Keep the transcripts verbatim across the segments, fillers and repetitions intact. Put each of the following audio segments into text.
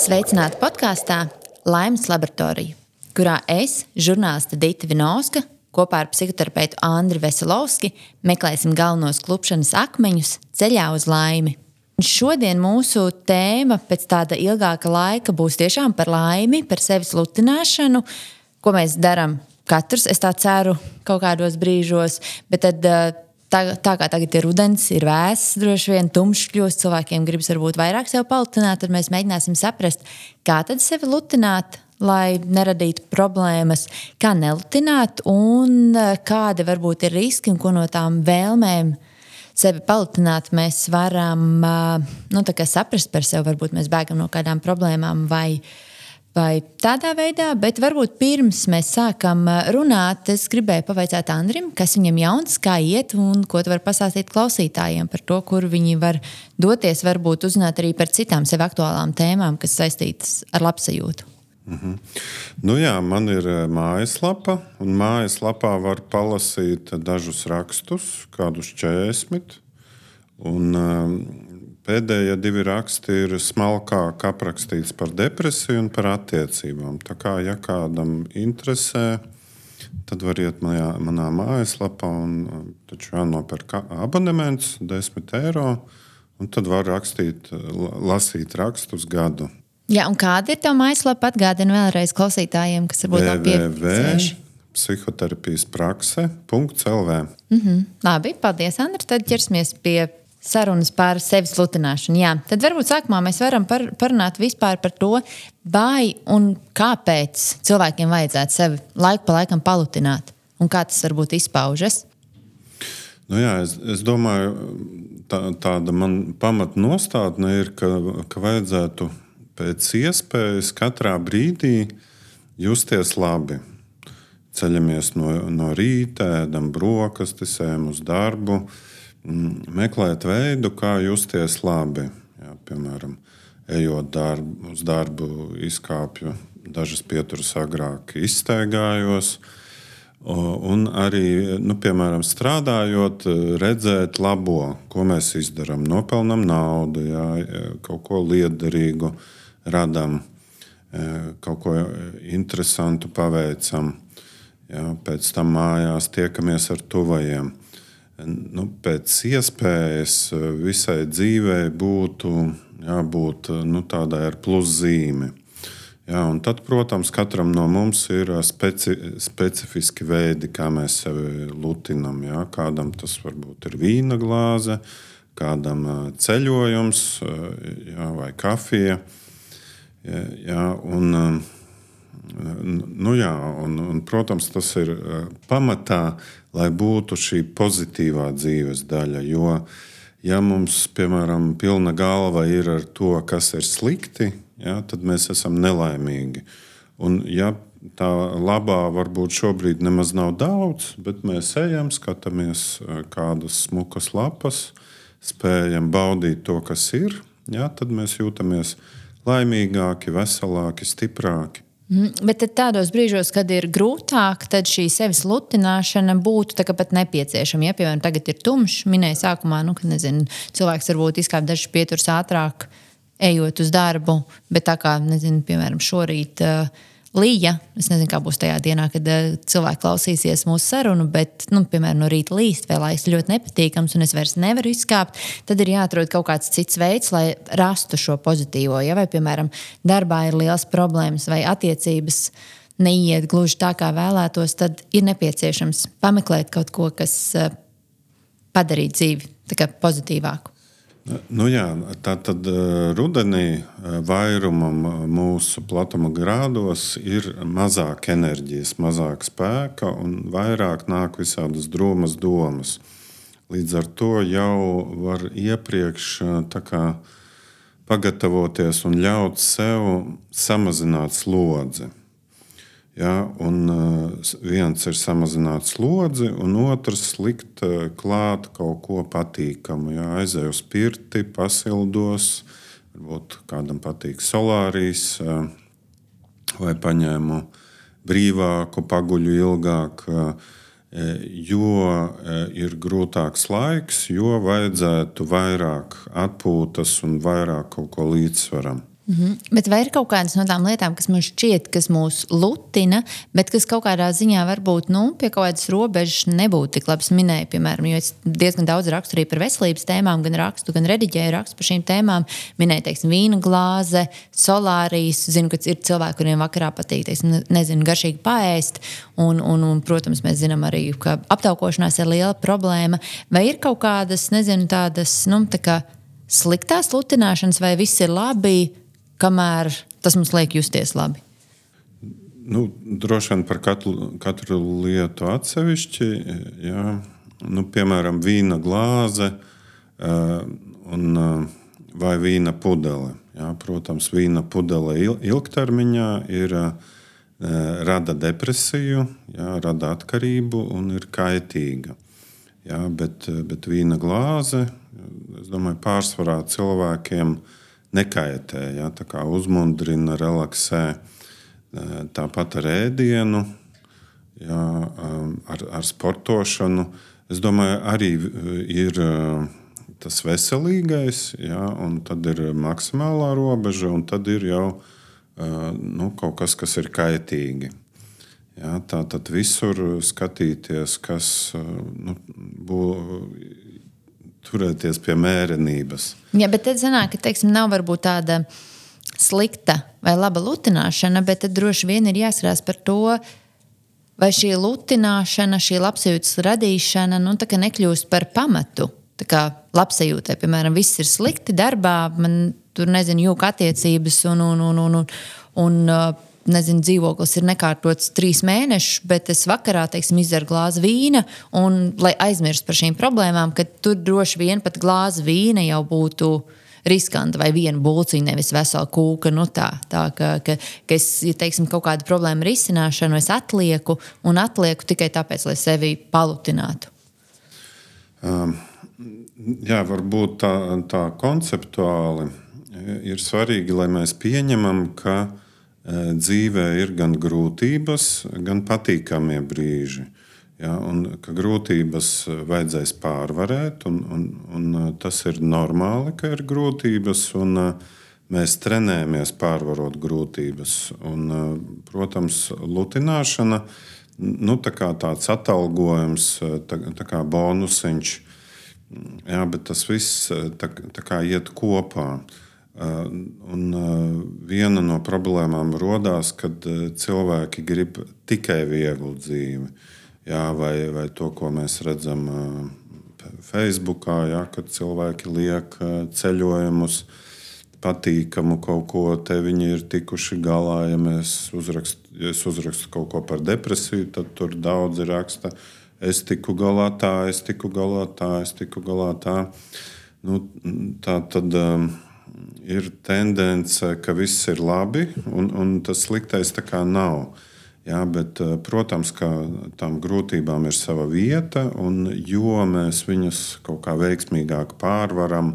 Sveicināti podkāstā Laimes laboratorija, kurā es, žurnāliste Dita Vinovska, kopā ar psihoterapeitu Andri Veselovski meklēsim galvenos klupšanas akmeņus ceļā uz laimi. Šodien mūsu tēma pēc tāda ilgāka laika būs tiešām par laimi, par sevis lutināšanu, ko mēs darām katrs, es tā ceru, kaut kādos brīžos, bet tad tā, tā kā tagad ir rudens, ir vēss, droši vien tumšs kļūst, cilvēkiem gribas varbūt vairāk sev palutināt, tad mēs mēģināsim saprast, kā tad sevi lutināt, lai neradītu problēmas, kā nelutināt un kādi varbūt ir riski un ko no tām vēlmēm sevi palutināt mēs varam nu, tā kā saprast par sevi, varbūt mēs bēgam no kādām problēmām vai Vai tādā veidā, bet varbūt pirms mēs sākam runāt, es gribēju pavaicāt Andrim, kas viņam jauns, kā iet un ko tu var pastāstīt klausītājiem par to, kur viņi var doties, varbūt uzzināt arī par citām sev aktuālām tēmām, kas saistītas ar labsajūtu. Mhm. Nu jā, man ir mājaslapa, un mājaslapā var palasīt dažus rakstus, kādus četrdesmit, un pēdējie divi raksti ir smalkāk aprakstīts par depresiju un par attiecībām. Tā kā, ja kādam interesē, tad var iet manā, manā mājaslapā un taču jānopērk abonements, desmit eiro, un tad var rakstīt, lasīt rakstus gadu. Jā, un kāda ir tā mājaslapa? Atgādina vēlreiz klausītājiem, kas varbūt nav piefiksējuši. psihoterapijas prakse punkt el vē. Mhm. Labi, paldies, Andri. Tad ķersimies pie sarunas par sevis lutināšanu. Jā, tad varbūt sākumā mēs varam par, parunāt vispār par to, vai un kāpēc cilvēkiem vajadzētu sevi laiku pa laikam palutināt un kā tas varbūt izpaužas. Nu jā, es, es domāju, tā, tāda man pamatnostādne ir, ka, ka vajadzētu pēc iespējas katrā brīdī justies labi. Ceļamies no, no rīta, ēdam brokastis, ejam uz darbu, meklēt veidu, kā justies labi. Jā, piemēram, ejot darbu, uz darbu, izkāpju dažas pieturas agrāk, izstaigājos. Un arī, nu, piemēram, strādājot, redzēt labo, ko mēs izdarām. Nopelnam naudu, jā, kaut ko liederīgu radam, kaut ko interesantu paveicam. Jā, pēc tam mājās tiekamies ar tuvajiem. Nu, pēc iespējas visai dzīvei būtu jābūt nu, tādai ar pluszīmi. Jā, un tad, protams, katram no mums ir speci, specifiski veidi, kā mēs sevi lutinam. Jā. Kādam tas varbūt ir vīna glāze, kādam ceļojums jā, vai kafija. Jā, jā, un, nu, jā, un, un, protams, tas ir pamatā, lai būtu šī pozitīvā dzīves daļa. Jo, ja mums, piemēram, pilna galva ir ar to, kas ir slikti, ja, tad mēs esam nelaimīgi. Un, ja tā labā varbūt šobrīd nemaz nav daudz, bet mēs ejam, skatāmies kādas smukas lapas, spējam baudīt to, kas ir, ja, tad mēs jūtamies laimīgāki, veselāki, stiprāki. Mm, bet tādos brīžos, kad ir grūtāk, tad šī sevis lutināšana būtu tā kā pat nepieciešama. Ja, piemēram, tagad ir tumšs, minēja sākumā, nu, ka nezinu, cilvēks varbūt izkāp dažas pieturas ātrāk, ejot uz darbu, bet tā kā, nezinu, piemēram, šorīt uh, līja, es nezinu, kā būs tajā dienā, kad uh, cilvēki klausīsies mūsu sarunu, bet, nu, piemēram, no rīta līst, vai laiks ļoti nepatīkams un es vairs nevaru izkāpt, tad ir jāatrod kaut kāds cits veids, lai rastu šo pozitīvo. Ja, vai, piemēram, darbā ir liels problēmas vai attiecības neiet gluži tā, kā vēlētos, tad ir nepieciešams pameklēt kaut ko, kas uh, padarīt dzīvi tā kā pozitīvāku. Nu jā, tā tad rudenī vairumam mūsu platuma grādos ir mazāk enerģijas, mazāk spēka un vairāk nāk visādas drūmas domas. Līdz ar to jau var iepriekš tā kā pagatavoties un ļaut sev samazināt slodzi. Ja, un viens ir samazināt slodzi, un otrs likt klāt kaut ko patīkamu. Ja, aizēju uz pirti, pasildos, varbūt kādam patīk solārijas, vai paņēmu brīvāku, paguļu ilgāk, jo ir grūtāks laiks, jo vajadzētu vairāk atpūtas un vairāk kaut ko līdzsvaram. Mm-hmm. Bet vai ir kaut kādas no tām lietām, kas mums šķiet, kas mūs lutina, bet kas kaut kādā ziņā varbūt nu, pie kaut kādas robežas nebūtu tik labi minēja, piemēram, jo es diezgan daudz rakstu arī par veselības tēmām, gan rakstu, gan rediģēju rakstu par šīm tēmām. Minēju, teiksim, vīna glāze, solārijas, zinu, ka ir cilvēki, kuriem vakarā patīk, teiksim, nezinu, garšīgi paēst, un, un, un, protams, mēs zinām arī, ka aptaukošanās ir liela problēma. Vai ir kaut kādas, nezinu, tādas, nu, tā kā sliktās lutināšanas, vai viss ir labi, kamēr tas mums liek justies labi? Nu, droši vien par katru, katru lietu atsevišķi. Jā. Nu, piemēram, vīna glāze uh, un, uh, vai vīna pudele. Jā. Protams, vīna pudele il, ilgtermiņā ir, uh, rada depresiju, jā, rada atkarību un ir kaitīga. Jā, bet, bet vīna glāze, es domāju, pārsvarā cilvēkiem nekaitē, ja, tā kā uzmundrina, relaksē. Tāpat ar ēdienu, ja, ar, ar sportošanu. Es domāju, arī ir tas veselīgais, ja, un tad ir maksimālā robeža, un tad ir jau nu, kaut kas, kas ir kaitīgi. Ja, tā tad visur skatīties, kas nu, būtu. Turēties pie mērenības. Jā, bet tad sanāk, ka, teiksim, nav varbūt tāda slikta vai laba lutināšana, bet tad droši vien ir jāskarās par to, vai šī lutināšana, šī labsajūtas radīšana, nu, tā kā nekļūst par pamatu. Tā kā labsajūtai, piemēram, viss ir slikti darbā, man tur, nezinu, jūka attiecības un, un, un, un, un, un nezinu, dzīvoklis ir nekārtots trīs mēnešus, bet es vakarā, teiksim, izdaru glāzi vīna, un, lai aizmirst par šīm problēmām, ka tur droši vien pat glāzi vīna jau būtu riskanta vai viena bulciņa, nevis vesela kūka. Nu tā, tā ka, ka, ka es, ja teiksim, kaut kādu problēmu risināšanu, es atlieku un atlieku tikai tāpēc, lai sevi palutinātu. Um, jā, varbūt tā, tā konceptuāli ir svarīgi, lai mēs pieņemam, ka dzīvē ir gan grūtības, gan patīkamie brīži. Ja, un ka grūtības vajadzēs pārvarēt, un, un, un tas ir normāli, ka ir grūtības, un mēs trenējamies pārvarot grūtības. Un, protams, lutināšana, nu, tā kā tāds atalgojums, tā, tā kā bonusiņš, ja, bet tas viss tā, tā kā iet kopā. Un viena no problēmām rodās, kad cilvēki grib tikai vieglu dzīvi. Jā, vai, vai to, ko mēs redzam Facebookā, jā, kad cilvēki liek ceļojumus, patīkamu kaut ko, te viņi ir tikuši galā. Ja mēs uzrakst, ja es uzrakstu kaut ko par depresiju, tad tur daudzi raksta, es tiku galā tā, es tiku galā tā, es tiku galā tā. Nu, tā tad ir tendence, ka viss ir labi, un, un tas sliktais tā kā nav. Jā, bet, protams, ka tām grūtībām ir sava vieta, un jo mēs viņus kaut kā veiksmīgāk pārvaram,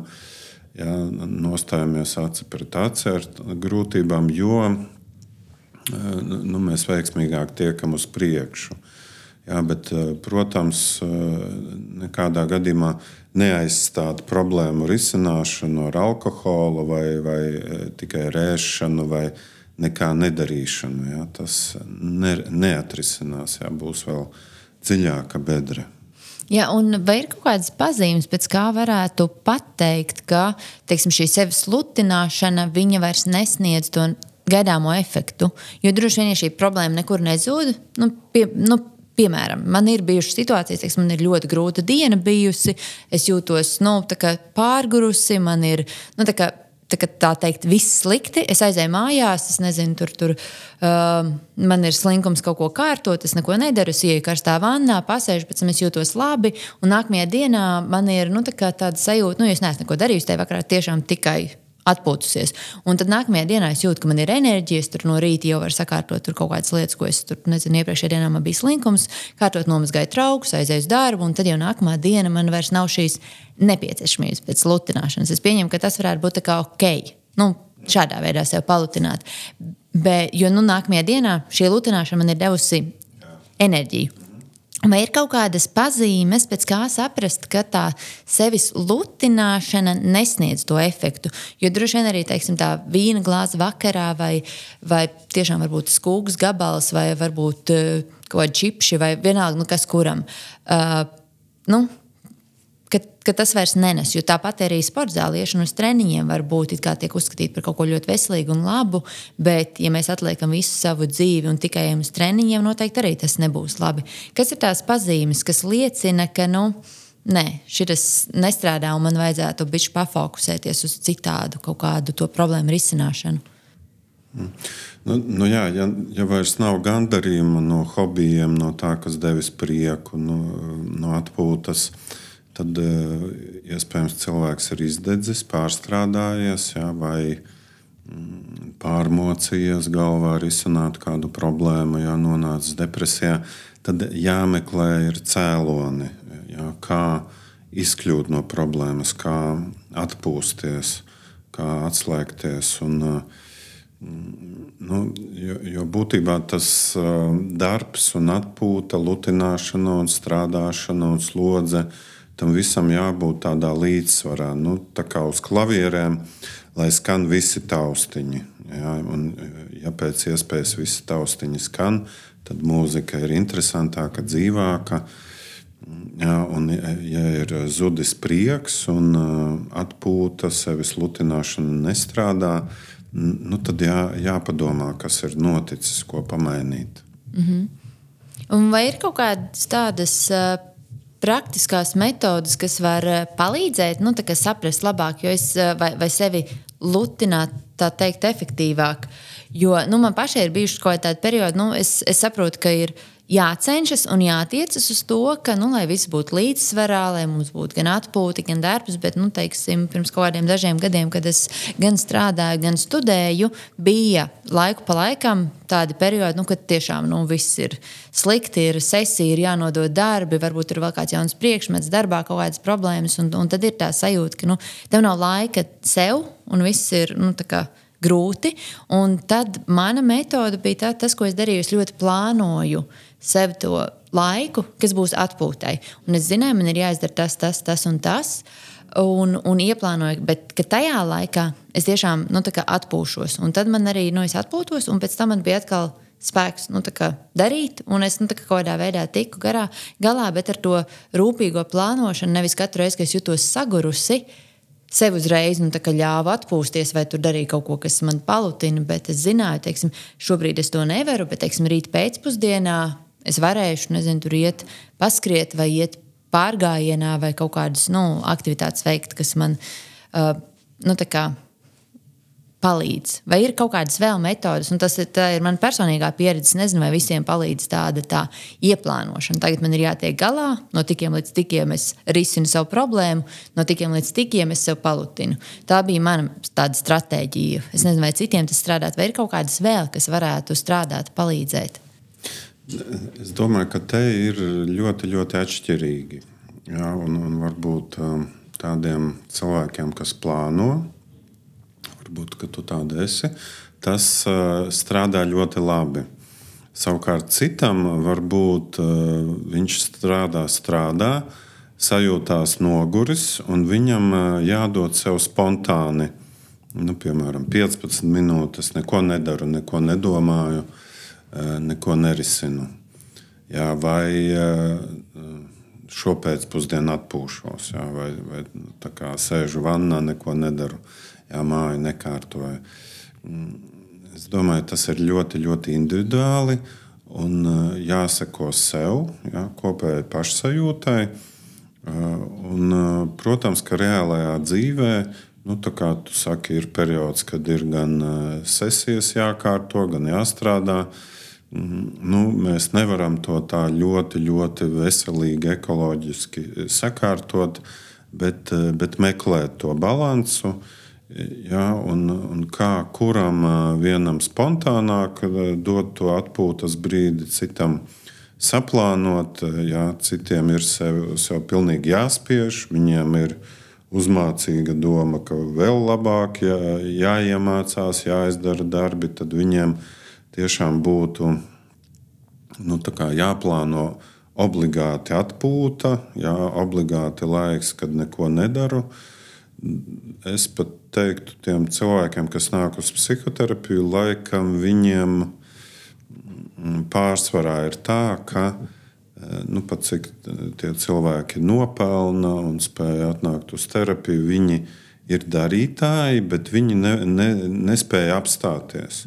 jā, nostājamies aci pret aci ar grūtībām, jo nu, mēs veiksmīgāk tiekam uz priekšu. Jā, bet, protams, nekādā gadījumā neaizstāt problēmu risināšanu ar alkoholu vai, vai tikai rēšanu vai nekā nedarīšanu. Jā. Tas ne, neatrisinās, jā, būs vēl dziļāka bedre. Jā, un vai ir kaut kādas pazīmes, pēc kā varētu pateikt, ka, teiksim, šī sevis lutināšana, viņa vairs nesniedz to gaidāmo efektu? Jo droši vien, ja šī problēma nekur nezūd, nu, pie, nu, piemēram, man ir bijušas situācijas, teiksim, man ir ļoti grūta diena bijusi, es jūtos, nu, tā kā pārgurusi, man ir, nu, tā kā, tā, kā, tā teikt, viss slikti, es aizēju mājās, es nezinu, tur, tur uh, man ir slinkums kaut ko kārtot, es neko nedaru, es ieju karstā vannā, pasēžu, pēc tam es jūtos labi, un nākamajā dienā man ir, nu, tā kā tāda sajūta, nu, ja es neesmu neko darījusi, tajā vakarā tiešām tikai atpūtusies. Un tad nākamajā dienā es jūtu, ka man ir enerģija, es tur no rīta jau varu sakārtot tur kaut kādas lietas, ko es tur, nezinu, iepriekšējā dienā man bija slinkums, kārtot nomazgāju traukus, aizēju uz darbu, un tad jau nākamā diena man vairs nav šīs nepieciešamības pēc lutināšanas. Es pieņemu, ka tas varētu būt tā kā ok, nu, šādā veidā sev palutināt. Bet, jo, nu, nākamajā dienā šī lutināšana man ir devusi enerģiju. Vai ir kaut kādas pazīmes, pēc kā saprast, ka tā sevis lutināšana nesniedz to efektu? Jo droši vien arī, teiksim, tā vīna glāze vakarā vai, vai tiešām varbūt skūgas gabals vai varbūt uh, kaut kādi čipši vai vienalga, nu kas kuram. Uh, nu, Ka, ka tas vairs nenes, jo tāpat arī sporta zāliešana uz treniņiem var būt it kā tiek uzskatīt par kaut ko ļoti veselīgu un labu, bet, ja mēs atliekam visu savu dzīvi un tikai ejam uz treniņiem, noteikti arī tas nebūs labi. Kas ir tās pazīmes, kas liecina, ka, nu, nē, šitas nestrādā un man vajadzētu bišķi pafokusēties uz citādu kaut kādu to problēmu risināšanu? Mm. Nu, nu jā, ja, ja vairs nav gandarījuma no hobijiem, no tā, kas devis prieku, no, no atpūtas, tad iespējams cilvēks ir izdedzis, pārstrādājies, jā, vai pārmocījies galvā, risināt kādu problēmu, jā, nonācis depresijā. Tad jāmeklē ir cēloni, jā, kā izkļūt no problēmas, kā atpūsties, kā atslēgties. Un, nu, jo, jo būtībā tas darbs un atpūta, lutināšana un strādāšana un slodze, tam visam jābūt tādā līdzsvarā, nu, tā kā uz klavierēm, lai skan visi taustiņi. Ja, un, ja pēc iespējas visi taustiņi skan, tad mūzika ir interesantāka, dzīvāka. Ja, un, ja ir zudis prieks un atpūta, sevis lutināšana nestrādā, nu, tad jā, jāpadomā, kas ir noticis, ko pamainīt. Mm-hmm. Un vai ir kaut kādas tādas uh, praktiskās metodas, kas var palīdzēt, nu, tā kā saprast labāk, jo es, vai, vai sevi lutināt, tā teikt, efektīvāk. Jo, nu, man pašai ir bijuši kaut tādi periodi, nu, es, es saprotu, ka ir jācenšas un jātiecas uz to, ka, nu, lai viss būtu līdzsvarā, lai mums būtu gan atpūta, gan darbs, bet, nu, teiksim, pirms kaut kādiem dažiem gadiem, kad es gan strādāju, gan studēju, bija laiku pa laikam tādi periodi, nu, kad tiešām, nu, viss ir slikti, ir sesija, ir jānodod darbi, varbūt ir vēl kāds jauns priekšmets darbā, kaut kādas problēmas, un, un tad ir tā sajūta, ka, nu, tev nav laika sev, un viss ir, nu, tā kā grūti, un tad mana metode bija tā, tas, ko es darīju, es ļoti plānoju sev to laiku, kas būs atpūtai. Un es zināju, man ir jāizdara tas, tas, tas un tas, un, un ieplānoju, bet ka tajā laikā es tiešām, nu, tā kā atpūšos. Un tad man arī, nu, es atpūtos, un pēc tam man bija atkal spēks, nu, tā kā darīt, un es, nu, tā kā kaut kādā veidā tiku garā, galā, bet ar to rūpīgo plānošanu, nevis katru reizi, ka es jutos sagurusi, sev uzreiz, nu, tā kā ļāva atpūsties vai tur darīja kaut ko, kas man palutina, bet es zināju, teiksim, šobrīd es to nevaru, bet, teiksim, rīt pēcpusdienā es varēšu, nezinu, tur iet paskriet vai iet pārgājienā vai kaut kādas, nu, aktivitātes veikt, kas man, uh, nu, tā kā palīdz. Vai ir kaut kādas vēl metodas, un tas ir, tā ir man personīgā pieredze, nezinu, vai visiem palīdz tāda tā ieplānošana. Tagad man ir jātiek galā, no tikiem līdz tikiem es risinu savu problēmu, no tikiem līdz tikiem es sev palutinu. Tā bija mana tāda stratēģija. Es nezinu, vai citiem tas strādāt, vai ir kaut kādas vēl, kas varētu strādāt, palīdzēt. Es domāju, ka te ir ļoti, ļoti atšķirīgi. Jā, un, un varbūt tādiem cilvēkiem, kas plāno, varbūt, ka tu tāda esi, tas uh, strādā ļoti labi. Savukārt citam varbūt uh, viņš strādā, strādā, sajūtās noguris, un viņam uh, jādod sev spontāni, nu, piemēram, piecpadsmit minūtes, neko nedaru, neko nedomāju, uh, neko nerisinu. Jā, vai uh, šopēcpusdienu atpūšos, jā, vai, vai tā kā sēžu vannā, neko nedaru. Jā, māju nekārtoju. Es domāju, tas ir ļoti, ļoti individuāli un jāseko sev, jā, kopēji pašsajūtai. Un, protams, ka reālajā dzīvē, nu, tā kā tu saki, ir periods, kad ir gan sesijas jākārto, gan jāstrādā. Nu, mēs nevaram to tā ļoti, ļoti veselīgi, ekoloģiski sakārtot, bet, bet meklēt to balansu. Jā, un, un kā kuram vienam spontānāk dot to atpūtas brīdi, citam saplānot, jā, citiem ir sev, sev pilnīgi jāspiež, viņiem ir uzmācīga doma, ka vēl labāk jā, jāiemācās, jāizdara darbi, tad viņiem tiešām būtu, nu, tā kā jāplāno obligāti atpūta, jā, obligāti laiks, kad neko nedaru. Es pat teiktu tiem cilvēkiem, kas nāk uz psihoterapiju, laikam viņiem pārsvarā ir tā, ka nu, pat cik tie cilvēki nopelna un spēja atnākt uz terapiju, viņi ir darītāji, bet viņi ne, ne, nespēja apstāties.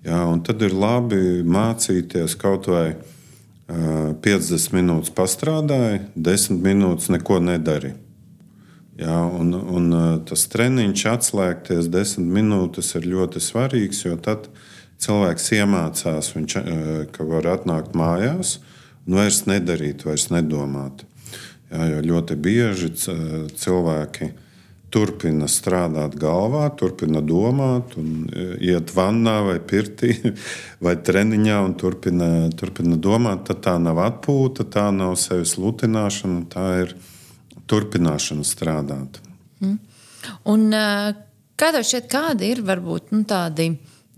Jā, un tad ir labi mācīties kaut vai uh, piecdesmit minūtes pastrādāja, desmit minūtes neko nedarīja. Jā, un, un tas treniņš atslēgties desmit minūtes ir ļoti svarīgs, jo tad cilvēks iemācās, viņš, ka var atnākt mājās un vairs nedarīt, vairs nedomāt. Jā, jo ļoti bieži cilvēki turpina strādāt galvā, turpina domāt, un iet vannā vai pirtī vai treniņā un turpina, turpina domāt. Tad tā nav atpūta, tā nav sevis lutināšana, tā ir turpināšana strādāt. Mm. Un kā tev šķiet, kādi ir varbūt nu, tādi,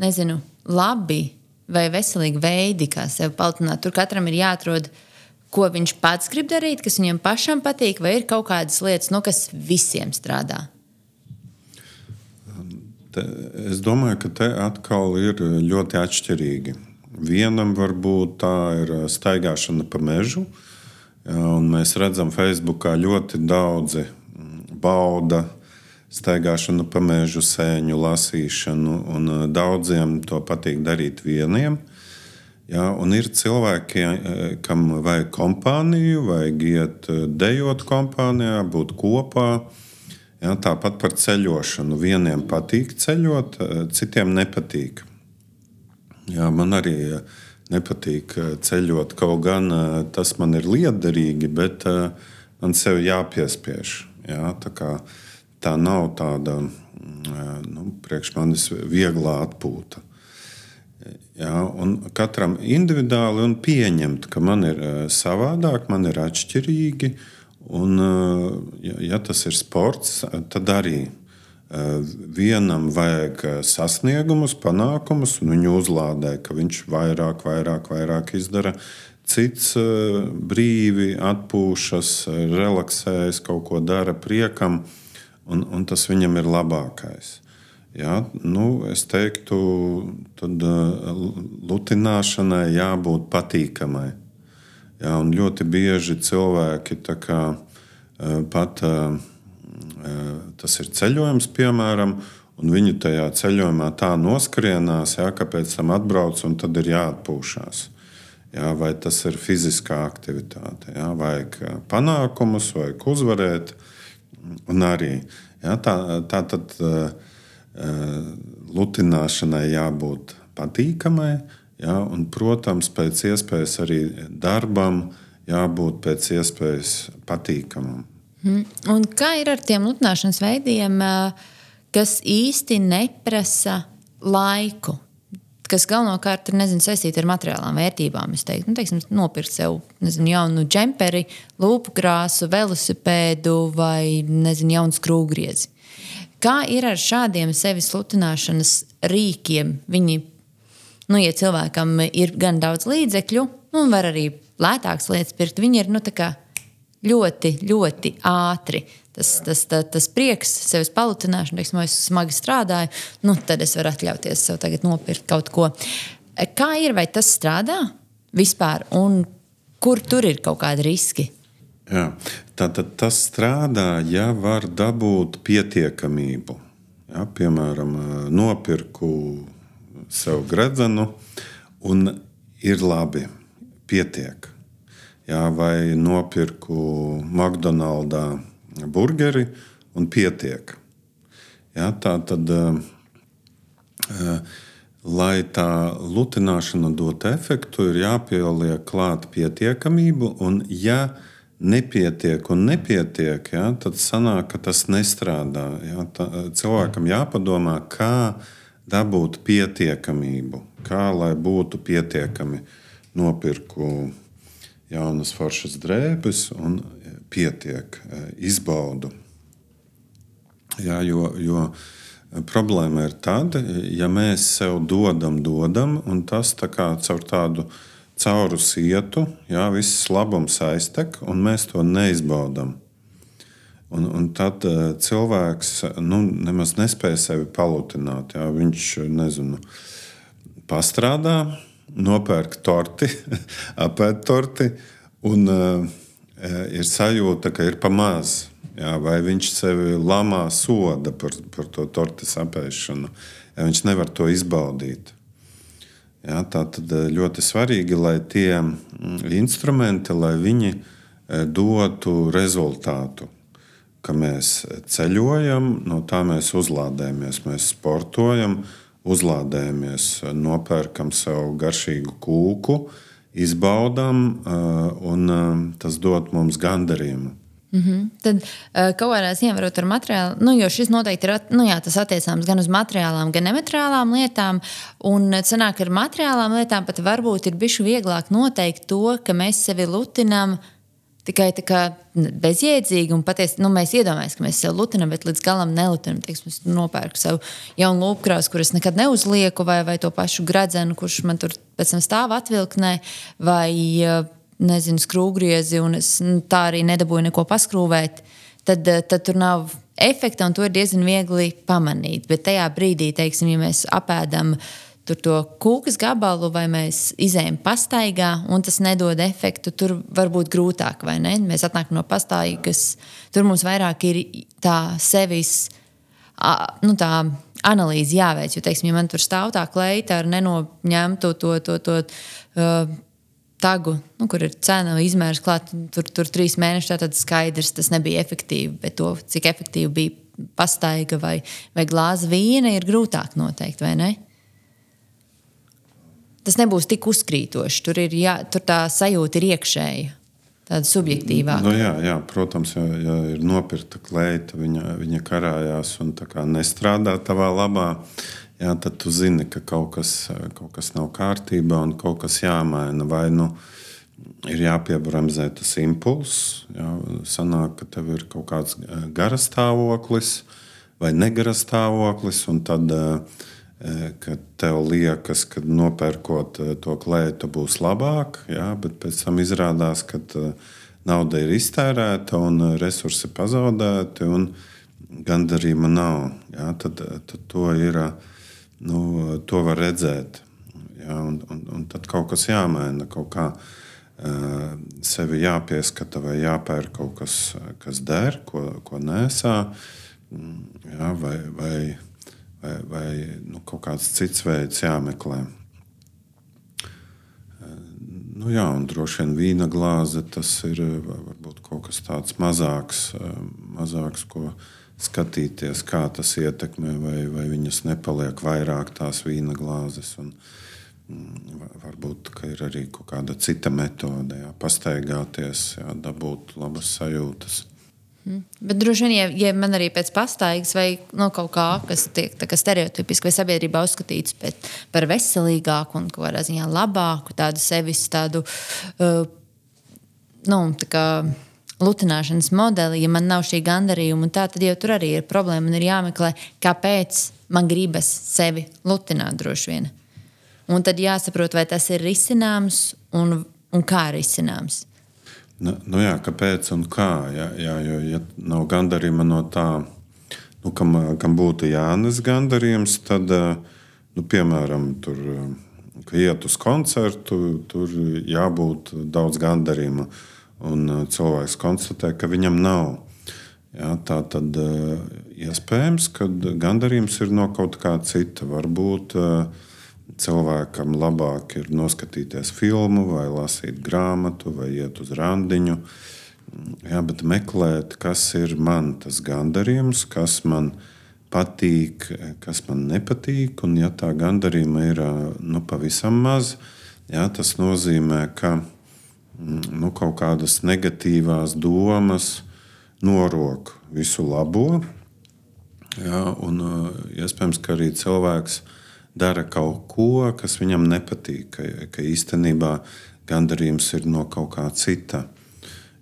nezinu, labi vai veselīgi veidi, kā sevi palielināt? Tur katram ir jāatrod, ko viņš pats grib darīt, kas viņam pašam patīk, vai ir kaut kādas lietas, nu, kas visiem strādā? Te, es domāju, ka te atkal ir ļoti atšķirīgi. Vienam varbūt tā ir staigāšana pa mežu. Un mēs redzam, ka Facebookā ļoti daudzi bauda staigāšanu pa mežu, sēņu lasīšanu, un daudziem to patīk darīt vieniem. Jā, un ir cilvēki, kam vajag kompāniju, vajag iet dejot kompānijā, būt kopā. Jā, tāpat par ceļošanu. Vieniem patīk ceļot, citiem nepatīk. Jā, man arī nepatīk ceļot, kaut gan tas man ir liederīgi, bet man sev jāpiespiež. Jā, tā, kā, tā nav tāda nu, priekš manis viegla atpūta. Jā, un katram individuāli un pieņemt, ka man ir savādāk, man ir atšķirīgi. Un, ja, ja tas ir sports, tad arī vienam vajag sasniegumus, panākumus, un viņu uzlādē, ka viņš vairāk, vairāk, vairāk izdara. Cits brīvi atpūšas, relaksējas, kaut ko dara priekam, un, un tas viņam ir labākais. Jā, nu, es teiktu, tad lutināšanai jābūt patīkamai. Jā, un ļoti bieži cilvēki tā kā pat tas ir ceļojums, piemēram, un viņi tajā ceļojumā tā noskrienās, jā, ka pēc tam atbrauc un tad ir jāatpūšās. Jā, vai tas ir fiziskā aktivitāte, jā, vajag panākumus, vajag uzvarēt, un arī jā, tā, tā tad lutināšanai jābūt patīkamai, jā, un, protams, pēc iespējas arī darbam jābūt pēc iespējas patīkamam. Hmm. Un kā ir ar tiem lutināšanas veidiem, kas īsti neprasa laiku, kas galvenokārt ir nezinu, saistīti ar materiālām vērtībām? Es teiktu, nu, teiksim, nopirkt sev nezinu, jaunu džemperi, lūpu krāsu, velosipēdu vai nezinu, jaunu skrūvgriezi. Kā ir ar šādiem sevis lutināšanas rīkiem? Viņi, nu, ja cilvēkam ir gan daudz līdzekļu, un var arī lētākas lietas pirkt, viņi ir nu, tā kā ļoti, ļoti ātri. Tas, tas, tas, tas prieks, sevis palutināšana, teiksim, es smagi strādāju, nu, tad es varu atļauties sev tagad nopirkt kaut ko. Kā ir, vai tas strādā vispār, un kur tur ir kaut kādi riski? Jā, tātad tas strādā, ja var dabūt pietiekamību. Jā, piemēram, nopirku sev gredzenu un ir labi, pietiek. Jā, vai nopirku McDonaldā burgeri un pietiek. Jā, tā tad, lai tā lutināšana dot efektu, ir jāpieliek klāt pietiekamību, un ja nepietiek un nepietiek, jā, tad sanāk, ka tas nestrādā. Jā, tā, cilvēkam jāpadomā, kā dabūt pietiekamību, kā lai būtu pietiekami. Nopirku jaunas foršas drēbes un pietiek, izbaudu. Jā, jo, jo problēma ir tad, ja mēs sev dodam, dodam, un tas tā kā caur tādu cauru sietu, jā, viss labums aiztek, un mēs to neizbaudām. Un, un tad uh, cilvēks nu, nemaz nespēja sevi palutināt. Jā. Viņš, nezinu, pastrādā, nopērk torti, apēd torti, un uh, ir sajūta, ka ir pa maz. Jā, vai viņš sevi lamā soda par, par to tortes apēšanu, ja viņš nevar to izbaudīt. Jā, tā tad ļoti svarīgi, lai tie instrumenti, lai viņi dotu rezultātu, ka mēs ceļojam, no tā mēs uzlādējamies, mēs sportojam, uzlādējamies, nopērkam sev garšīgu kūku, izbaudām, un tas dod mums gandarījumu. Mm-hmm. Tad kaut kādā ziņā varot ar materiālu, nu, jo šis noteikti ir, nu jā, tas attiecāms gan uz materiālām, gan nemateriālām lietām, un sanāk ar materiālām lietām pat varbūt ir bišķi vieglāk noteikt to, ka mēs sevi lutinām tikai tā kā bezjēdzīgi, un patiesi, nu, mēs iedomājamies, ka mēs sevi lutinām, bet līdz galam nelutinām. Teiksim, es nopērku sev jaunu lūpkrāsu, kuras nekad neuzlieku, vai, vai to pašu gradzenu, kurš man tur pēc tam stāv atvilknē, vai nezinu, skrūvgriezi, un es nu, tā arī nedabūju neko paskrūvēt, tad, tad tur nav efekta, un to ir diezgan viegli pamanīt. Bet tajā brīdī, teiksim, ja mēs apēdam tur to kūkas gabalu, vai mēs izējam pastaigā, un tas nedod efektu, tur var būt grūtāk, vai ne? Mēs atnākam no pastaigas, tur mums vairāk ir tā sevis, nu tā analīze jāveic, jo, teiksim, ja man tur stāv tā kleita ar nenoņemtu to, to, to, uh, tagu, nu, kur ir cena izmērs klāt, tur, tur trīs mēneši, tad skaidrs, tas nebija efektīvi, bet to, cik efektīvi bija pastaiga vai, vai glāze vīna, ir grūtāk noteikt, vai ne? Tas nebūs tik uzkrītoši, tur, ir, jā, tur tā sajūta ir iekšēja, tāda subjektīvāka. Nu, jā, jā, protams, ja, ja ir nopirkta kleita, viņa, viņa karājās un tā kā nestrādā tavā labā, jā, tad tu zini, ka kaut kas, kaut kas nav kārtībā un kaut kas jāmaina. Vai nu ir jāpiebremzē tas impulss, jā, sanāk, ka tev ir kaut kāds garas stāvoklis vai negaras stāvoklis, un tad, kad tev liekas, ka nopērkot to kleitu būs labāk, jā, bet pēc tam izrādās, ka nauda ir iztērēta un resursi pazaudēti un gandarījuma nav. Jā, tad, tad to ir... Nu, to var redzēt. Jā, un, un, un tad kaut kas jāmaina, kaut kā uh, sevi jāpieskata vai jāpērk kaut kas, kas der, ko, ko nesā, jā, vai, vai, vai, vai nu, kaut kāds cits veids jāmeklē. Uh, nu, jā, un droši vien vīna glāze, tas ir varbūt kaut kas tāds mazāks, uh, mazāks, ko skatīties, kā tas ietekmē, vai, vai viņas nepaliek vairāk tās vīna glāzes. Un, mm, varbūt, ka ir arī kaut kāda cita metode, jā, pastaigāties, jā, dabūt labas sajūtas. Hmm. Bet droši vien, ja, ja man arī pēc pastaigas vai no kaut kā, kas tiek tā kā stereotipiski vai sabiedrībā uzskatīts pēc, par veselīgāku un kaut kādā ziņā labāku, tādu sevis, tādu, uh, nu, tā kā lutināšanas modeli, ja man nav šī gandarījuma un tā, tad jau tur arī ir problēma un ir jāmeklē, kāpēc man gribas sevi lutināt droši vien. Un tad jāsaprot, vai tas ir risināms un, un kā risināms. Nu, nu jā, kāpēc un kā, jā, jā, jo ja nav gandarījuma no tā, nu, kam, kam būtu jānes gandarījums, tad, nu, piemēram, tur, ka iet uz koncertu, tur jābūt daudz gandarījuma. Un cilvēks konstatē, ka viņam nav. Jā, tā tad iespējams, ka gandarījums ir no kaut kā cita. Varbūt cilvēkam labāk ir noskatīties filmu vai lasīt grāmatu vai iet uz randiņu. Jā, bet meklēt, kas ir man tas gandarījums, kas man patīk, kas man nepatīk. Un ja tā gandarījuma ir nu, pavisam maz, jā, tas nozīmē, ka nu, kaut kādas negatīvās domas norok visu labo. Jā, un iespējams, ka arī cilvēks dara kaut ko, kas viņam nepatīk, ka, ka īstenībā gandarījums ir no kaut kā cita.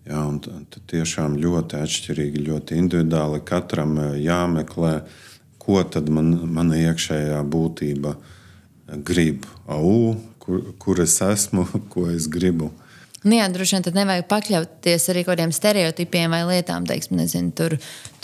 Jā, un tad tiešām ļoti atšķirīgi, ļoti individuāli katram jāmeklē, ko tad man, mana iekšējā būtība grib. Au, kur, kur es esmu, ko es gribu. Nu jā, droši vien tad nevajag pakļauties arī kādiem stereotipiem vai lietām. Teiksim, nezinu, tur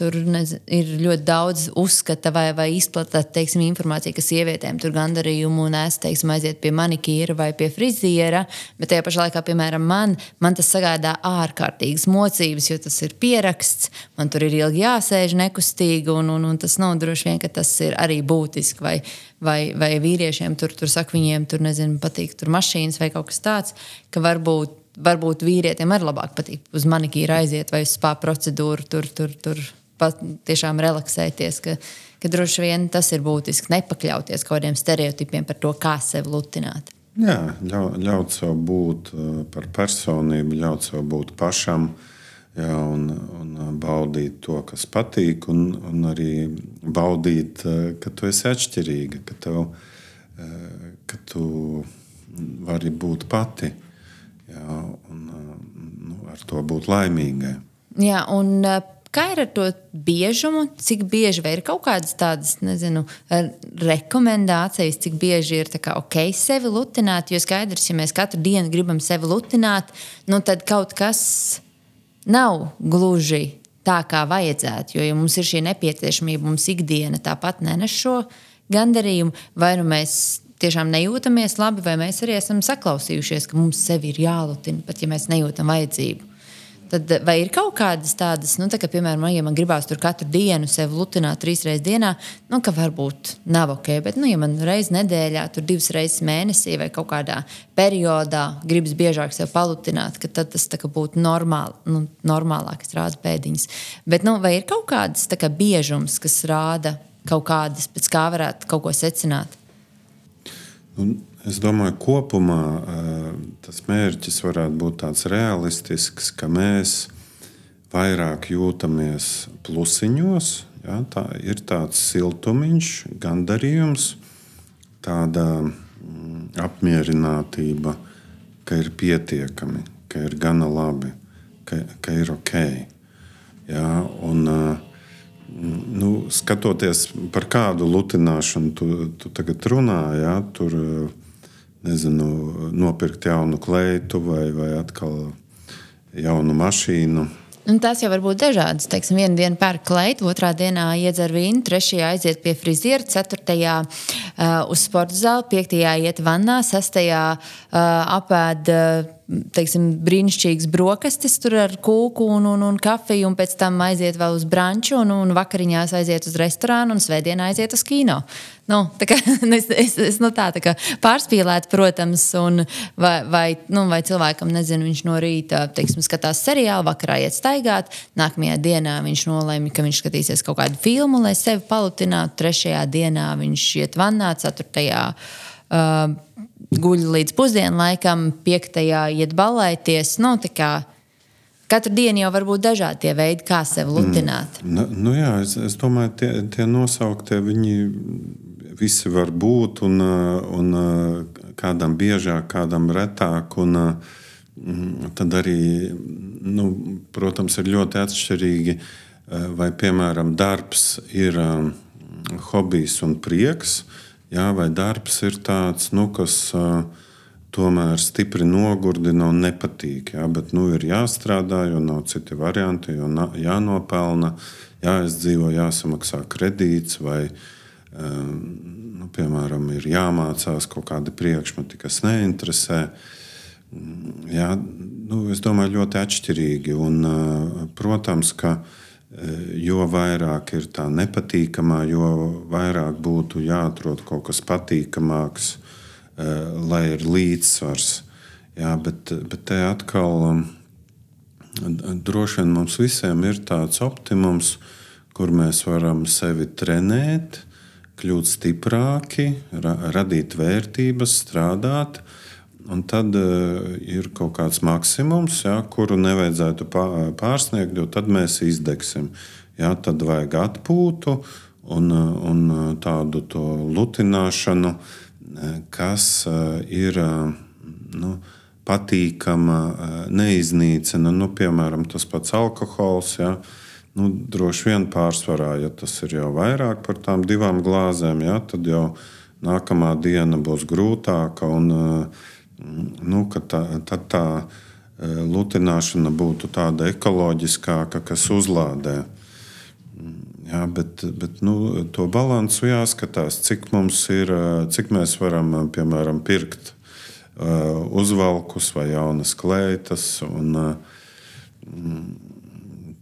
tur nezinu, ir ļoti daudz uzskata vai, vai izplatīta teiksim, informācija, ka sievietēm tur gandarījumu nes, teiksim, aiziet pie manikīra vai pie friziera. Bet tajā pašā laikā, piemēram, man, man tas sagādā ārkārtīgas mocības, jo tas ir pieraksts. Man tur ir ilgi jāsēž nekustīgi, un, un, un tas nav droši vien, ka tas ir arī būtiski. Vai, vai, vai vīriešiem tur, tur saka, viņiem tur, nezinu, patīk tur mašīnas vai kaut kas tāds, ka varbūt Varbūt vīrietiem arī labāk patīk uz manikīru aiziet vai uz spā procedūru, tur, tur, tur pat tiešām relaksēties, ka, ka droši vien tas ir būtiski nepakļauties kādiem stereotipiem par to, kā sevi lutināt. Jā, ļau, ļaut sev būt par personību, ļaut sev būt pašam, jā, un, un baudīt to, kas patīk, un, un arī baudīt, ka tu esi atšķirīga, ka, tev, ka tu vari būt pati. Jā, un nu, ar to būt laimīgai. Jā, un kā ir ar to biežumu? Cik bieži vai ir kaut kādas tādas, nezinu, rekomendācijas, cik bieži ir tā kā ok sevi lutināt? Jo skaidrs, ja mēs katru dienu gribam sevi lutināt, nu tad kaut kas nav gluži tā, kā vajadzētu. Jo ja mums ir šī nepieciešamība, mums ikdiena tāpat nenes šo gandarījumu, vai nu mēs tiešām nejūtamies labi, vai mēs arī esam saklausījušies, ka mums sevi ir jālutina, pat ja mēs nejūtam vajadzību. Tad vai ir kaut kādas tādas, nu, tā kā, piemēram, ja man gribās tur katru dienu sevi lutināt trīs reizes dienā, nu, ka varbūt nav ok, bet, nu, ja man reiz nedēļā, tur divas reizes mēnesī vai kaut kādā periodā gribas biežāk sevi palutināt, ka tad tas tā kā būtu normāli, nu, normālāk, es rādu pēdiņas. Bet, nu, vai ir kaut kādas tā kā biežums, kas rāda kaut kādas, pēc kā varētu kaut ko secināt? Un es domāju, kopumā tas mērķis varētu būt tāds realistisks, ka mēs vairāk jūtamies plusiņos. Ja, tā ir tāds siltumiņš, gandarījums, tāda apmierinātība, ka ir pietiekami, ka ir gana labi, ka, ka ir ok. Ja, un, Nu, skatoties par kādu lutināšanu tu, tu tagad runā, ja, tur, nezinu, nopirkt jaunu kleitu vai, vai atkal jaunu mašīnu. Un tās jau var būt dažādas. Teiksim, vienu dienu pērk kleitu, otrā dienā iedzer vīnu, trešajā aiziet pie friziera, ceturtajā uh, uz sporta zāli, piektajā iet vannā, sestajā uh, apēd uh, teiksim, brīnišķīgas brokastis tur ar kūku un, un, un kafiju, un pēc tam aiziet vēl uz branču, un, un vakariņās aiziet uz restorānu, un svētdienā aiziet uz kino. Nu, tā kā, es, es, es nu tā, tā kā pārspīlēt, protams, un vai, vai, nu, vai cilvēkam, nezinu, viņš no rīta, teiksim, skatās seriālu, vakarā iet staigāt, nākamajā dienā viņš nolēma, ka viņš skatīsies kaut kādu filmu, lai sevi palutinātu, trešajā dienā viņš iet vannā, ceturtajā uh, guļ līdz pusdienlaikam, piektajā iet ballēties, nu, tā kā katru dienu jau var būt dažādi tie veidi, kā sevi lutināt. Mm. Nu, nu jā, es, es domāju, tie, tie nosauktie, viņi visi var būt, un, un kādam biežāk, kādam retāk, un tad arī, nu, protams, ir ļoti atšķirīgi, vai, piemēram, darbs ir hobijs un prieks, jā, vai darbs ir tāds, nu, kas tomēr stipri nogurdina un nepatīk, jā, bet, nu, ir jāstrādā, jo nav citi varianti, jo jānopelna, jāizdzīvo, jāsamaksā kredīts, vai, nu, piemēram, ir jāmācās kaut kādi priekšmeti, kas neinteresē. Jā, nu, es domāju, ļoti atšķirīgi, un, protams, ka jo vairāk ir tā nepatīkamā, jo vairāk būtu jāatrod kaut kas patīkamāks, lai ir līdzsvars. Jā, bet, bet te atkal droši vien mums visiem ir tāds optimums, kur mēs varam sevi trenēt, kļūt stiprāki, ra- radīt vērtības, strādāt, un tad uh, ir kaut kāds maksimums, ja, kuru nevajadzētu pārsniegt, jo tad mēs izdegsim. Ja, tad vajag atpūtu un, un tādu to lutināšanu, kas uh, ir uh, nu, patīkama, uh, neiznīcina. Nu, piemēram, tas pats alkohols, ja, nu, droši vien pārsvarā, ja tas ir jau vairāk par tām divām glāzēm, ja, tad jau nākamā diena būs grūtāka, un nu, ka tā, tad tā lutināšana būtu tāda ekoloģiskāka, kas uzlādē. Jā, bet, bet nu, to balansu jāskatās, cik mums ir, cik mēs varam, piemēram, pirkt uh, uzvalkus vai jaunas kleitas, un uh,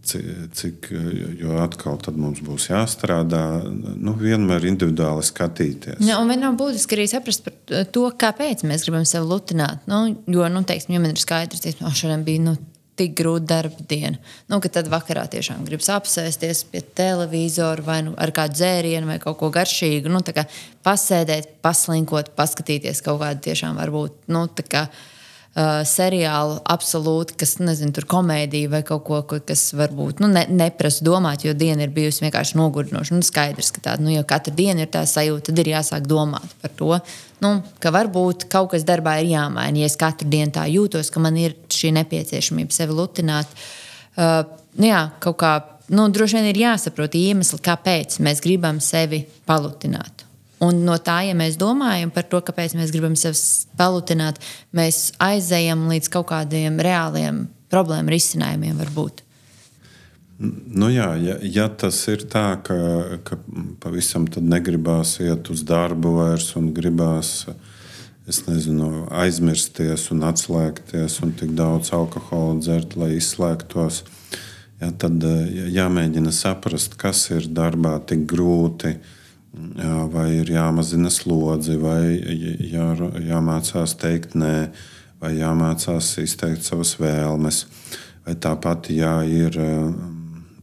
cik, jo atkal tad mums būs jāstrādā, nu, vienmēr individuāli skatīties. Ja, un vienam būtiski arī saprast par to, kāpēc mēs gribam sevi lutināt. Nu, jo, nu, teiksim, ja man ir skaidrs, ka oh, šodien bija nu, tik grūta darba diena, nu, ka tad vakarā tiešām gribas apsēsties pie televizora vai nu, ar kādu dzērienu vai kaut ko garšīgu, nu, tā kā pasēdēt, paslinkot, paskatīties kaut kādu tiešām varbūt, nu, tā kā Uh, seriālu absolūti, kas, nezinu, tur komēdija vai kaut ko, kas varbūt nu, ne, neprasa domāt, jo diena ir bijusi vienkārši nogurdinoša. Nu, skaidrs, ka tāda, nu, jo katru dienu ir tā sajūta, tad ir jāsāk domāt par to, nu, ka varbūt kaut kas darbā ir jāmaina. Ja es katru dienu tā jūtos, ka man ir šī nepieciešamība sevi lutināt, uh, nu, jā, kaut kā, nu, droši vien ir jāsaprot iemesli, kāpēc mēs gribam sevi palutināt. Un no tā, ja mēs domājam par to, kāpēc mēs gribam sevi palutināt, mēs aizejam līdz kaut kādiem reāliem problēmu risinājumiem varbūt. Nu jā, ja, ja tas ir tā, ka, ka pavisam tad negribās iet uz darbu vairs un gribās, es nezinu, aizmirsties un atslēgties un tik daudz alkohola dzert, lai izslēgtos, ja, tad jāmēģina saprast, kas ir darbā tik grūti. Jā, vai ir jāmazina slodzi, vai jā, jāmācās teikt nē, vai jāmācās izteikt savas vēlmes, vai tāpat jā, ir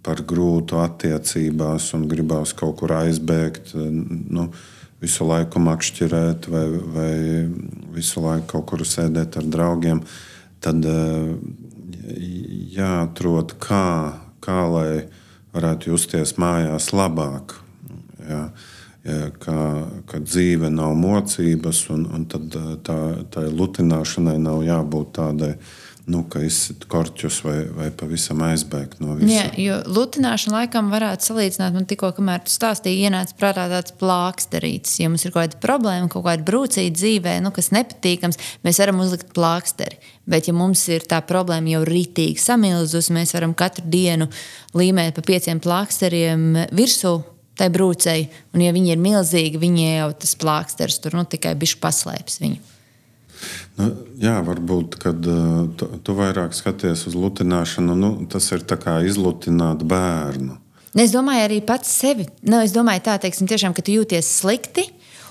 par grūtu attiecībās un gribās kaut kur aizbēgt, nu, visu laiku makšķirēt vai, vai visu laiku kaut kur sēdēt ar draugiem, tad jāatrod, kā, kā lai varētu justies mājās labāk. Jā. Ka, ka dzīve nav mocības, un, un tad tā, tā lutināšanai nav jābūt tādai, nu, ka izsit korķus vai, vai pavisam aizbēgt no visa. Jā, jo lutināšana laikam varētu salīdzināt, man tikko, kamēr tu stāstīji, ienāca prātā tāds plāksterītis. Ja mums ir kaut kāda problēma, kaut kāda brūcīta dzīvē, nu, kas nepatīkams, mēs varam uzlikt plāksteri. Bet ja mums ir tā problēma jau ritīgi samilzus, mēs varam katru dienu līmēt pa pieciem plāksteriem virsū, tai brūcei, un ja viņi ir milzīgi, viņi jau tas plāksters tur nu, tikai bišķi paslēps viņu. Nu, jā, varbūt, kad uh, tu, tu vairāk skaties uz lutināšanu, nu, tas ir tā kā izlutināt bērnu. Es domāju arī pats sevi. Nu, es domāju tā, teiksim, tiešām, ka tu jūties slikti,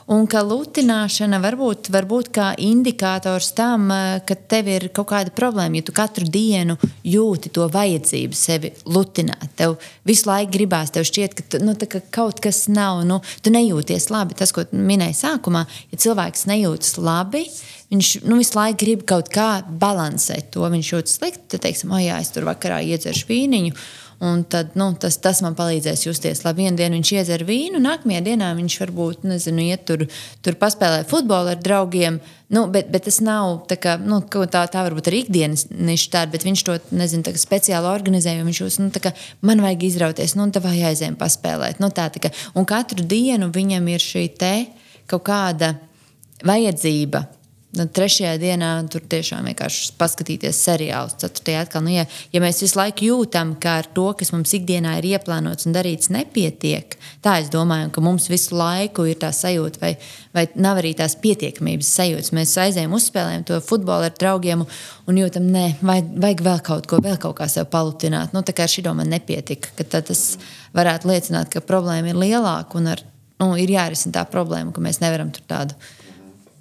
un ka lutināšana varbūt, varbūt kā indikators tam, ka tev ir kaut kāda problēma, ja tu katru dienu jūti to vajadzību sevi lutināt. Tev visu laiku gribās, tev šķiet, ka, tu, nu, tā, ka kaut kas nav, nu, tu nejūties labi. Tas, ko minēji sākumā, ja cilvēks nejūtas labi, viņš nu, visu laiku grib kaut kā balansēt to. Viņš jūtas slikti, tad teiksim, o jā, es tur vakarā iedzeršu vīniņu, un tad, nu, tas, tas man palīdzēs justies labi. Vienu dienu viņš iedzer vīnu, nākamajā dienā viņš varbūt, nezinu, iet tur, tur paspēlē futbolu ar draugiem, nu, bet, bet tas nav tā kā, nu, tā, tā varbūt arī ikdienas niša tāda, bet viņš to, nezinu, tā kā speciāli organizē, jo viņš jūs, nu, tā kā, man vajag izrauties, nu, tā vai aizējam paspēlēt, nu, tā, tā kā, un katru dienu viņam ir šī te kaut kāda vajadzība. Trešajā dienā tur tiešām vienkārši paskatīties seriālus. Ceturtajā atkal, nu, ja, ja mēs visu laiku jūtam, ka ar to, kas mums ikdienā ir ieplānots un darīts, nepietiek, tā es domāju, ka mums visu laiku ir tā sajūta, vai, vai nav arī tās pietiekamības sajūtas. Mēs aizējam, uzspēlējam to futbolu ar draugiem un jūtam, nē, vajag, vajag vēl kaut ko, vēl kaut kā sev palutināt. Nu, tā kā ar šito man nepietika, ka tad tas varētu liecināt, ka problēma ir lielāka un ar, nu, ir jārisina tā problēma, ka mēs nevaram tur tādu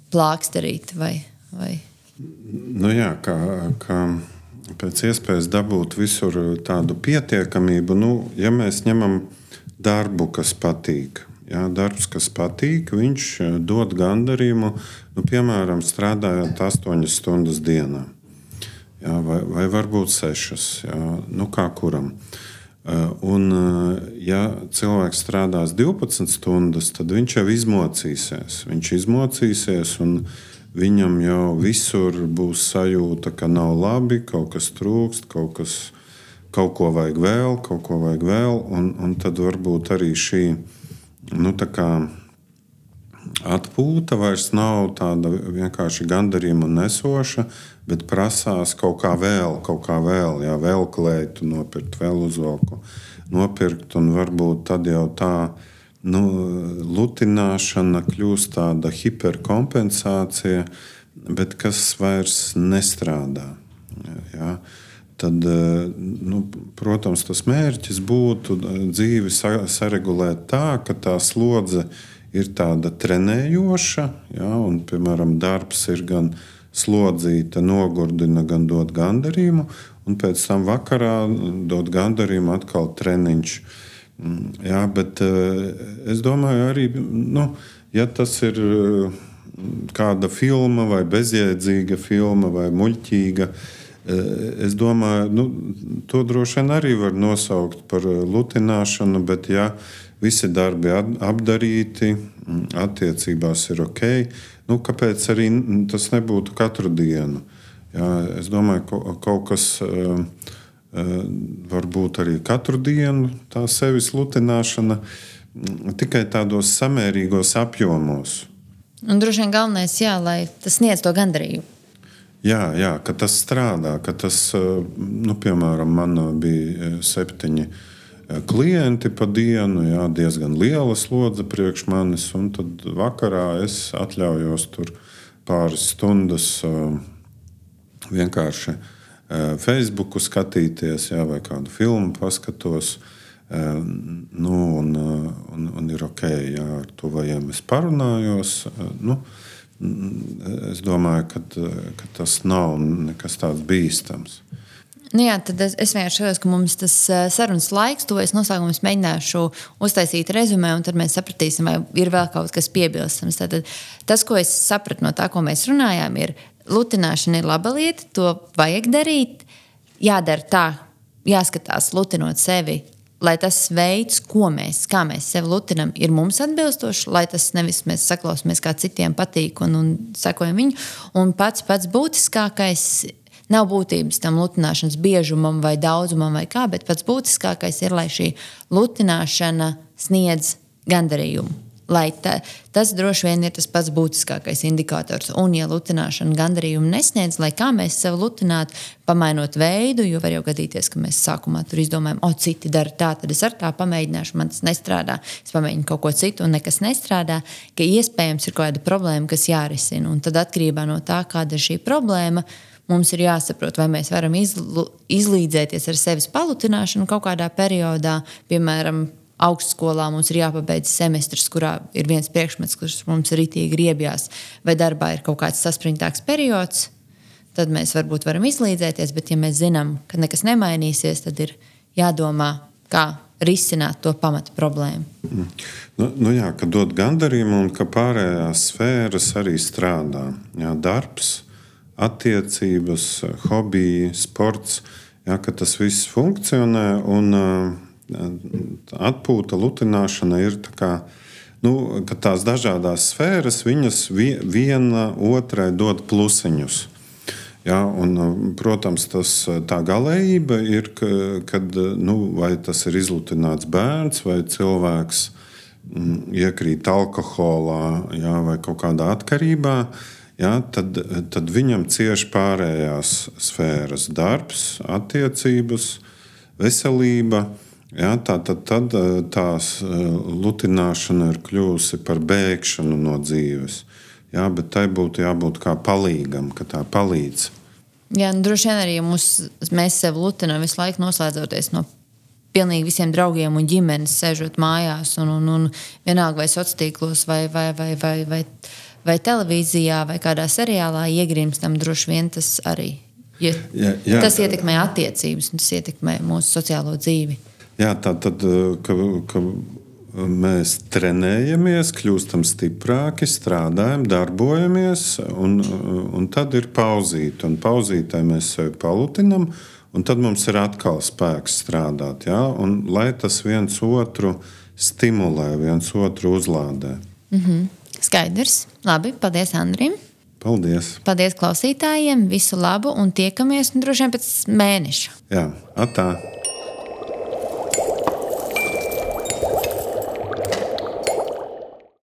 plāksterīt vai, vai? Nu jā, kā, kā pēc iespējas dabūt visur tādu pietiekamību. Nu, ja mēs ņemam darbu, kas patīk, jā, darbs, kas patīk, viņš dod gandarījumu, nu, piemēram, strādājot astoņas stundas dienā, jā, vai, vai varbūt sešas, jā, nu kā kuram. Un, ja cilvēks strādās divpadsmit stundas, tad viņš jau izmocīsies. Viņš izmocīsies, un viņam jau visur būs sajūta, ka nav labi, kaut kas trūkst, kaut, kas, kaut ko vajag vēl, kaut ko vajag vēl. Un, un tad varbūt arī šī, nu, tā kā atpūta vairs nav tāda vienkārši gandarījuma nesoša, bet prasās kaut kā vēl, kaut kā vēl, jā, vēl kleitu nopirkt, vēl uzvalku nopirkt, un varbūt tad jau tā nu, lutināšana kļūst tāda hiperkompensācija, bet kas vairs nestrādā. Jā. Tad, nu, protams, tas mērķis būtu dzīvi saregulēt tā, ka tā slodze ir tāda trenējoša, jā, un, piemēram, darbs ir gan slodzīta, nogurdina, gan dod gandarījumu, un pēc tam vakarā dod gandarījumu atkal treniņš. Jā, bet es domāju arī, nu, ja tas ir kāda filma vai bezjēdzīga filma vai muļķīga, es domāju, nu, to droši vien arī var nosaukt par lutināšanu, bet ja visi darbi apdarīti, attiecībās ir ok, nu, kāpēc arī tas nebūtu katru dienu? Jā, es domāju, kaut kas varbūt arī katru dienu tā sevis lutināšana, tikai tādos samērīgos apjomos. Un droši vien galvenais, jā, lai tas sniedz to gandarījumu. Jā, jā, ka tas strādā, ka tas, nu, piemēram, man bija septiņi klienti pa dienu, jā, diezgan liela slodze priekš manis, un tad vakarā es atļaujos tur pāris stundas vienkārši Facebooku skatīties, jā, vai kādu filmu paskatos, nu, un, un, un ir ok, jā, ar tuvajiem es parunājos, nu, es domāju, ka, ka tas nav nekas tāds bīstams. Nu jā, tad es, es vienkārši skatos, ka mums tas sarunas laiks, to es noslēgumu es mēģināšu uztaisīt rezumē, un tad mēs sapratīsim, vai ir vēl kaut kas piebilstams. Tad tas, ko es sapratu no tā, ko mēs runājām, ir lutināšana ir laba lieta, to vajag darīt, jādara tā, jāskatās lutinot sevi, lai tas veids, ko mēs, kā mēs sevi lutinam, ir mums atbilstoši, lai tas nevis mēs saklausāmies, kā citiem patīk un, un sekojam viņu. Un pats pats būtiskākais nav būtības tam lutināšanas biežumam vai daudzumam vai kā, bet pats būtiskākais ir, lai šī lutināšana sniedz gandarījumu. Lai ta, tas droši vien ir tas pats būtiskākais indikators. Un, ja lutināšana gandarījumu nesniedz, lai kā mēs sevi lutinātu, pamainot veidu, jo var jau gadīties, ka mēs sākumā tur izdomājam, o, citi dara tā, tad es ar tā pamēģināšu, man tas nestrādā. Es pamēģinu kaut ko citu un nekas nestrādā, ka iespējams ir kaut kāda problēma, kas jārisina. Un tad atkarībā no tā, kāda ir šī problēma, mums ir jāsaprot, vai mēs varam izlu, izlīdzēties ar sevis palutināšanu kaut kādā periodā, piemēram, augstskolā mums ir jāpabeidz semestrs, kurā ir viens priekšmets, kurš mums ritīgi riebjās, vai darbā ir kaut kāds saspringtāks periods, tad mēs varbūt varam izlīdzēties, bet ja mēs zinām, ka nekas nemainīsies, tad ir jādomā, kā risināt to pamata problēmu. Mm. Nu, nu jā, ka dod gandarījumu un ka pārējās sfēras arī strādā. Jā, darbs, attiecības, hobiji, sports, jā, ka tas viss funkcionē un atpūta, lutināšana ir tā kā, nu, ka tās dažādās sfēras, viņas viena otrai dod plusiņus. Ja, un, protams, tas, tā galējība ir, kad, nu, vai tas ir izlutināts bērns vai cilvēks m, iekrīt alkoholā, ja, vai kaut kādā atkarībā, ja, tad, tad viņam cieši pārējās sfēras - darbs, attiecības, veselība. Ja, tā, tad, tad tās lutināšana ir kļuvusi par bēgšanu no dzīves. Ja, bet tai būtu jābūt kā palīgam, ka tā palīdz. Jā, nu, droši vien arī mūs, mēs sevi lutinām visu laiku noslēdzoties no pilnīgi visiem draugiem un ģimenes, sēžot mājās un, un, un vienalga vai sociālos vai, vai, vai, vai, vai, vai televīzijā vai kādā seriālā iegrimstam, droši vien tas arī. Ja, jā, jā. Tas ietekmē attiecības un tas ietekmē mūsu sociālo dzīvi. Jā, tā tad, ka, ka mēs trenējamies, kļūstam stiprāki, strādājam, darbojamies, un, un tad ir pauzīte. Un pauzītē mēs sevi palutinam, un tad mums ir atkal spēks strādāt. Jā? Un, lai tas viens otru stimulē, viens otru uzlādē. Mm-hmm. Skaidrs. Labi, paldies Andrim. Paldies. Paldies klausītājiem, visu labu un tiekamies nu, droši vien pēc mēneša. Jā, atā.